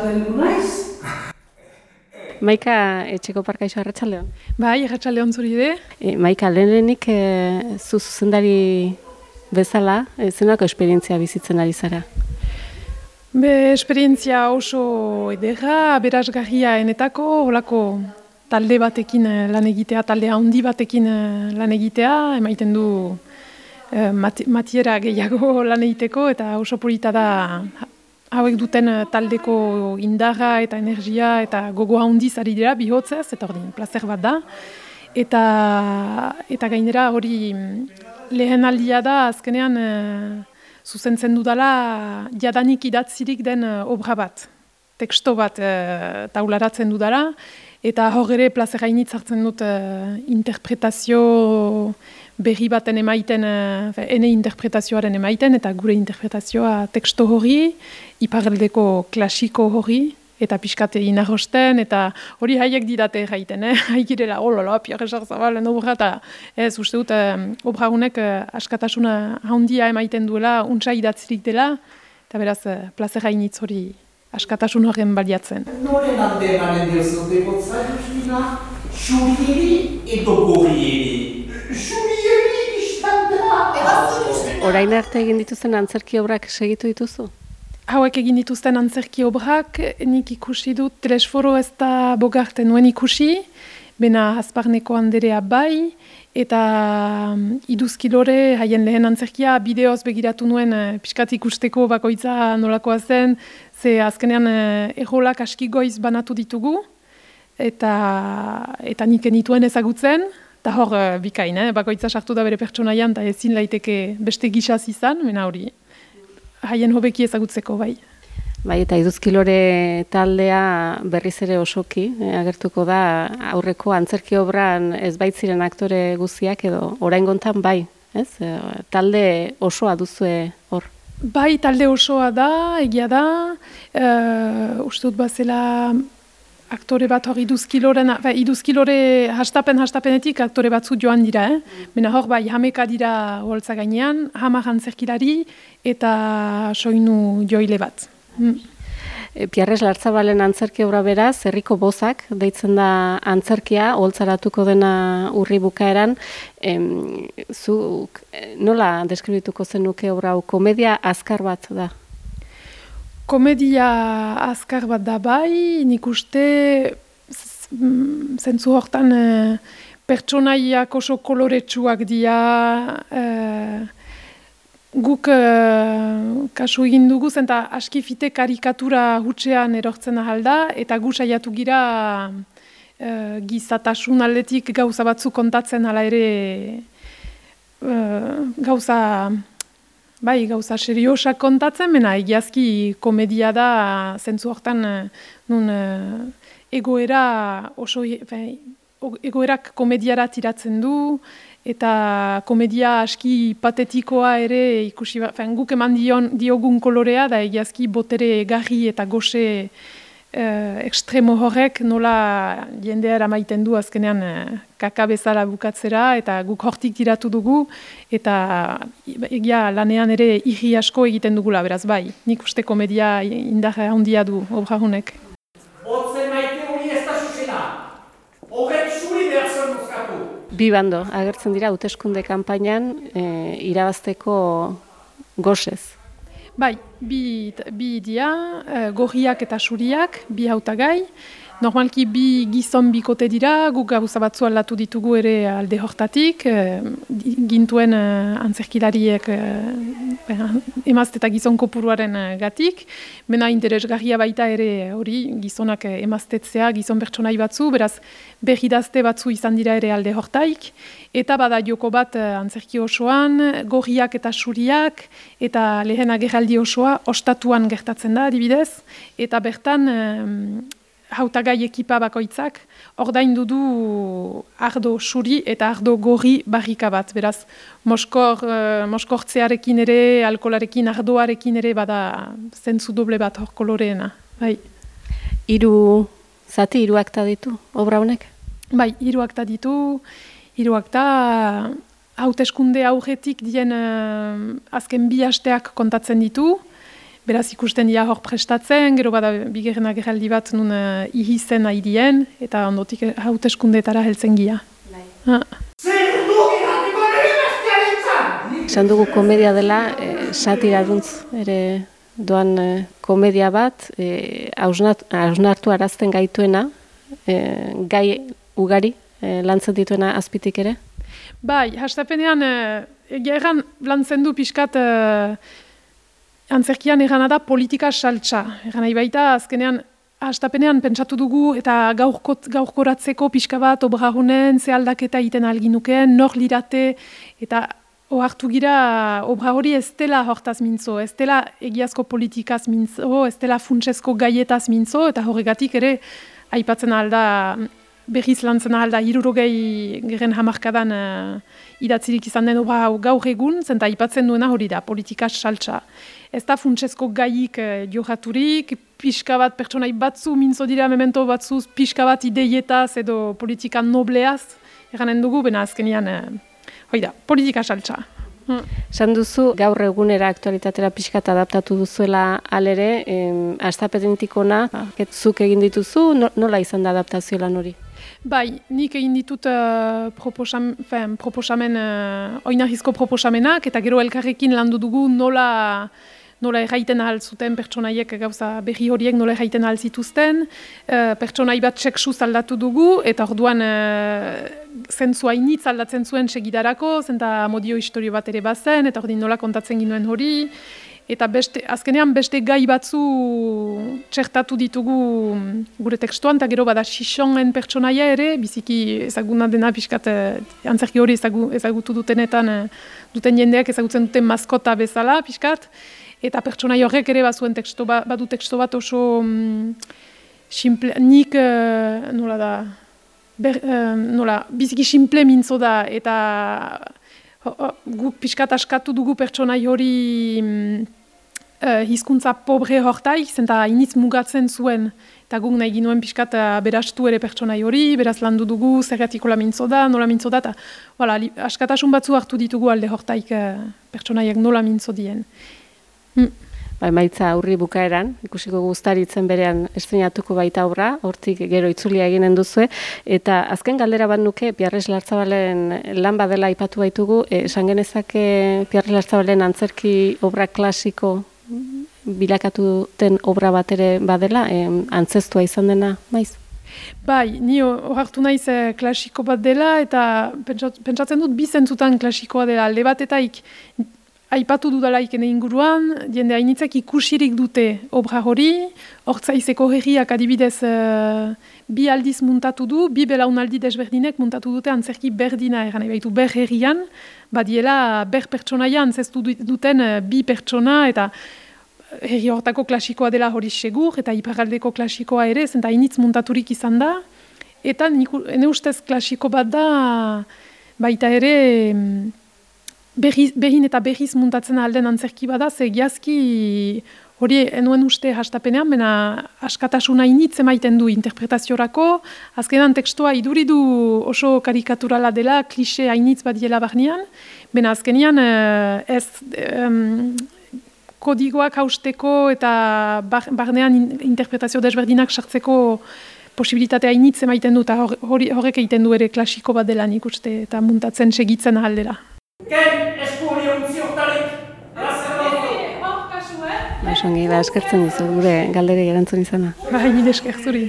heldu naiz. Maika, etxeko parkaixo arratsaldeon. Bai, arratsaldeon zuri ere. Maika, lehenik zu zuzendari bezala, zenako esperientzia bizitzen ari zara? Esperientzia oso ederra, aberasgarria enetako, holako talde batekin lan egitea, talde handi batekin lan egitea, emaiten du matiera gehiago lan egiteko, eta oso polita da hauek duten taldeko indarra eta energia eta gogo handiz ari dira bihotzez, eta ordin, plazer bat da. Eta gainera hori lehen aldia da, azkenean zuzentzen dudala jadanik idatzirik den obra bat, teksto bat taularatzen dudala, eta hor ere plazer hainitz hartzen dut interpretazio berri baten emaiten, ene interpretazioaren emaiten, eta gure interpretazioa teksto hori, iparraldeko klasiko hori, eta pixkate inarrosten, eta hori haiek didate erraiten, haikirela, Pierre Jarzabalen obra, eta ez, uste dut, obra honek askatasuna handia emaiten duela, untsa idatzirik dela, eta beraz, plazer hainitz hori askatasun horren baliatzen. Noren alde emanen diozu degotza, Justina? Xurieri edo gorrieri? Xurieri istandera! Orain arte egin dituzten antzerki obrak segitu dituzu? Hauek egin dituzten antzerki obrak, nik ikusi dut, Telesforo ez da Bogarte nuen ikusi, bena Azparneko Anderea bai, eta Iduzkilore, haien lehen antzerkia, bideoz begiratu nuen pixkat ikusteko bakoitza nolakoa zen, ze azkenean errolak aski goiz banatu ditugu, eta nik enituen ezagutzen, eta hor bikain, bakoitza sartu da bere pertsonaian, eta ezin laiteke beste gixaz izan, bena hori. Haien hobeki ezagutzeko, bai. Bai, eta Iduzkilore taldea berriz ere osoki, agertuko da aurreko antzerki obran ez baitziren aktore guztiak edo oraingontan bai, ez? Talde osoa duzue hor. Bai, talde osoa da, egia da, uste dut bazela aktore bat hor Iduzkilore hastapenetik aktore batzu joan dira, Bena hor bai, hameka dira holtza gainean, 10 antzerkilari eta soinu joile bat. Pierre Jarzabalen antzerki obra beraz, Herriko Bozak, deitzen da antzerkia, holtzaratuko dena urri bukaeran. Zuk nola deskribituko zenuke obra hau, komedia azkar bat da? Komedia azkar bat da bai, nik uste zentzu hortan pertsonaiak oso koloretsuak dira, guk kasu egin dugu, zenta aski fite karikatura hutsean erortzen ahalda, eta gu saiatu gira gizatasun aldetik gauza batzu kontatzen hala ere gauza seriosak kontatzen, mena egiazki komedia da zentzu hortan nun egoerak komediara tiratzen du, eta komedia aski patetikoa ere ikusi, guk eman diogun kolorea da egiazki botere garri eta goxe ekstremo horrek nola jendea eramaiten du azkenean kaka bezala bukatzera, eta guk hortik tiratu dugu, eta egia lanean ere irri asko egiten dugula, beraz bai, nik uste komedia indarra handia du obra honek. Otzen maite hori ez da zuzena, horrek zuri behar zen mozkatu. Bi bando agertzen dira hauteskunde kanpainan irabazteko gosez. Bai, bi dira, gorriak eta suriak, bi hautagai. Normalki bi gizon bikote dira, guk gauza batzu aldatu ditugu ere alde hortatik, gintuen antzerkilariek emazte eta gizon kopuruaren gatik, bena interesgarria baita ere hori gizonak emaztetzea, gizon pertsonai batzu, beraz berridazte batzu izan dira ere alde hortaik, eta bada joko bat antzerki osoan, gorriak eta suriak, eta lehen agerraldi osoa ostatuan gertatzen da adibidez, eta bertan hautagai ekipa bakoitzak ordaindu du ardo suri eta ardo gorri barrika bat. Beraz, moskortzearekin ere, alkolarekin, ardoarekin ere bada zentzu doble bat hor koloreena. Bai. 3 akta ditu, obra honek? Bai, 3 akta ditu. 3 akta hauteskunde aurretik dien azken 2 asteak kontatzen ditu. beraz ikusten dira hor prestatzen, gero bada bigarren agerraldi bat nun ihizen aidien, eta ondotik hauteskundetara heltzen gira. Zer dugi jatiko nire bestialitzan! Esan dugu komedia dela, satiraduntz ere doan komedia bat, hausnartu arazten gaituena, gai ugari lantzen dituena azpitik ere? Bai, hastapenean, egia erran lantzen du pixkat antzerkian errana da politika saltsa. Erran nahi baita, azkenean, hastapenean pentsatu dugu eta gaurkoratzeko pixka bat obragunen, ze aldaketa egiten alginukeen, nor lirate, eta ohartu gira obra hori ez dela hortaz mintzo, ez dela egiazko politikaz mintzo, ez dela funtsezko gaietaz mintzo, eta horregatik ere aipatzen alda, berriz lantzen alda, 60 geren hamarkadan idatzirik izan den obra gaur egun, zenta aipatzen duena hori da, politika saltsa. Ez da funtsezko gaiik johaturik, pixka bat pertsonai batzu mintzo dira memento batzuz, pixka bat ideietaz edo politika nobleaz, eranen dugu, bena azkenian, hoi da, politika saltsa. Esan duzu, gaur egunera aktualitatera pixkat adaptatu duzuela alere, hastapenetik ona, zuk egin dituzu, nola izan da adaptazio lan hori? Bai, nik egin ditut proposamen, oinarrizko proposamenak, eta gero elkarrekin landu dugu nola erraiten ahal zuten pertsonaiek gauza berri horiek nola erraiten ahal zituzten, pertsonai bat seksuz aldatu dugu, eta orduan zentzua initz aldatzen zuen segidarako, zenta amodio historio bat ere bazen, eta ordin nola kontatzen ginuen hori, eta azkenean beste gai batzu txertatu ditugu gure tekstuan, eta gero bada Xixonen pertsonaia ere, biziki ezaguna dena pixkat antzerki hori ezagutu dutenetan, duten jendeak ezagutzen duten maskota bezala pixkat, eta pertsonai horrek ere badu teksto bat oso simple, nik nola da, biziki simple mintzo da, eta guk pixkat askatu dugu pertsonai hori hizkuntza pobre hortaik, zenta initz mugatzen zuen, eta guk nahi ginuen pixkat berastu ere pertsonai hori, beraz landu dugu, zergatiko nola mintzo da, eta askatasun batzu hartu ditugu alde hortaik pertsonaiak nola mintzo dien. Emaitza aurri bukaeran, ikusiko guztaritzen berean estreinatuko baita obra, hortik gero itzulia eginen duzue, eta azken galdera bat nuke, Pierres Lartzabalen lan badela aipatu baitugu, esan genezake Pierres Lartzabalen antzerki obra klasiko bilakatu den obra bat ere badela, antzestua izan dena, maiz? Bai, ni ohartu naiz klasiko bat dela, eta pentsatzen dut bizentzutan klasikoa dela, alde batetaik aipatu dudalaik ene inguruan, jende hainitzak ikusirik dute obra hori, Hortzaizeko herriak adibidez bi aldiz muntatu du, bi belaunaldi desberdinek muntatu dute antzerki berdina eran baitu ber herrian, badiela ber pertsonaia antzestu duten bi pertsona, eta herri hortako klasikoa dela hori segur, eta iparraldeko klasikoa ere, zenta hainitz muntaturik izan da, eta ene ustez klasiko bat da, baita ere, behin eta berriz muntatzen alden antzerki bada, ze giazki hori enuen uste hastapenean, bena askatasuna initz emaiten du interpretaziorako, azkenan tekstua iduridu oso karikaturala dela, klixe hainitz badiela barnean, bena azkenean ez kodigoak hausteko eta barnean interpretazio desberdinak sartzeko posibilitatea initz emaiten du, eta horrek egiten du ere klasiko bat dela nik uste, eta muntatzen segitzen ahaldera. Ken eskuhori ontzi hortarik, Hor kasu, Osongi, eskertzen dizu gure galderi erantzun izana. Bai, nire esker zuri.